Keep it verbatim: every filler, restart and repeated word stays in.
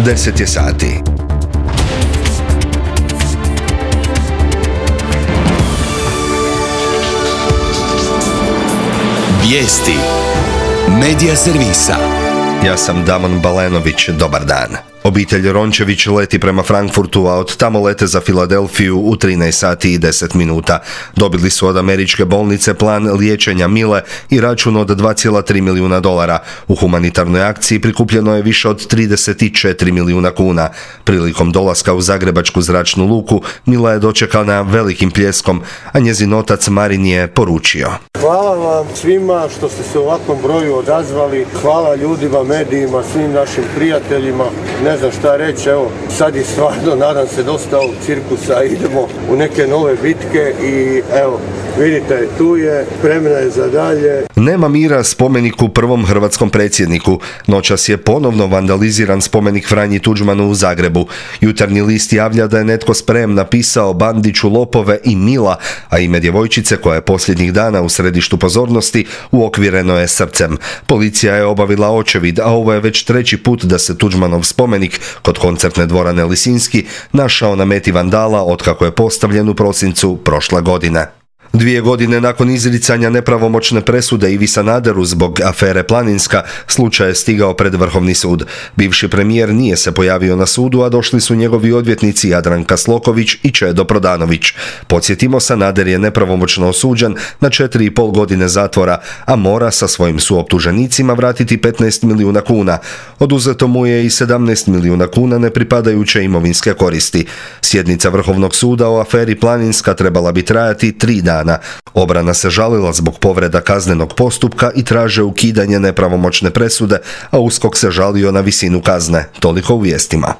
deset je sati. Vijesti Medija servisa. Ja sam Damon Balenović, dobar dan. Obitelj Rončević leti prema Frankfurtu, a od tamo lete za Filadelfiju u trinaest sati i deset minuta. Dobili su od američke bolnice plan liječenja Mile i račun od dva zarez tri milijuna dolara. U humanitarnoj akciji prikupljeno je više od trideset četiri milijuna kuna. Prilikom dolaska u zagrebačku zračnu luku, Mila je dočekana velikim pljeskom, a njezin otac Marin je poručio: Hvala vam svima što ste se u ovakvom broju odazvali. Hvala ljudima, medijima, svim našim prijateljima. Ne znam šta reći, evo, sad je stvarno, nadam se, dosta ovog cirkusa, idemo u neke nove bitke i evo, vidite, tu je, spremna je za dalje. Nema mira spomeniku prvom hrvatskom predsjedniku. Noćas je ponovno vandaliziran spomenik Franji Tuđmanu u Zagrebu. Jutarnji list javlja da je netko sprem napisao Bandiću lopove i Mila, a ime djevojčice koja je posljednjih dana u središtu pozornosti uokvireno je srcem. Policija je obavila očevid, a ovo je već treći put da se Tuđmanov spomenik kod koncertne dvorane Lisinski našao na meti vandala otkako je postavljen u prosincu prošle godine. Dvije godine nakon izricanja nepravomoćne presude Ivi Sanaderu zbog afere Planinska, slučaj je stigao pred Vrhovni sud. Bivši premijer nije se pojavio na sudu, a došli su njegovi odvjetnici Jadranka Sloković i Čedo Prodanović. Podsjetimo, Sanader je nepravomoćno osuđen na četiri i pol godine zatvora, a mora sa svojim suoptuženicima vratiti petnaest milijuna kuna. Oduzeto mu je i sedamnaest milijuna kuna nepripadajuće imovinske koristi. Sjednica Vrhovnog suda o aferi Planinska trebala bi trajati tri dana. Obrana se žalila zbog povreda kaznenog postupka i traže ukidanje nepravomoćne presude, a USKOK se žalio na visinu kazne. Toliko u vijestima.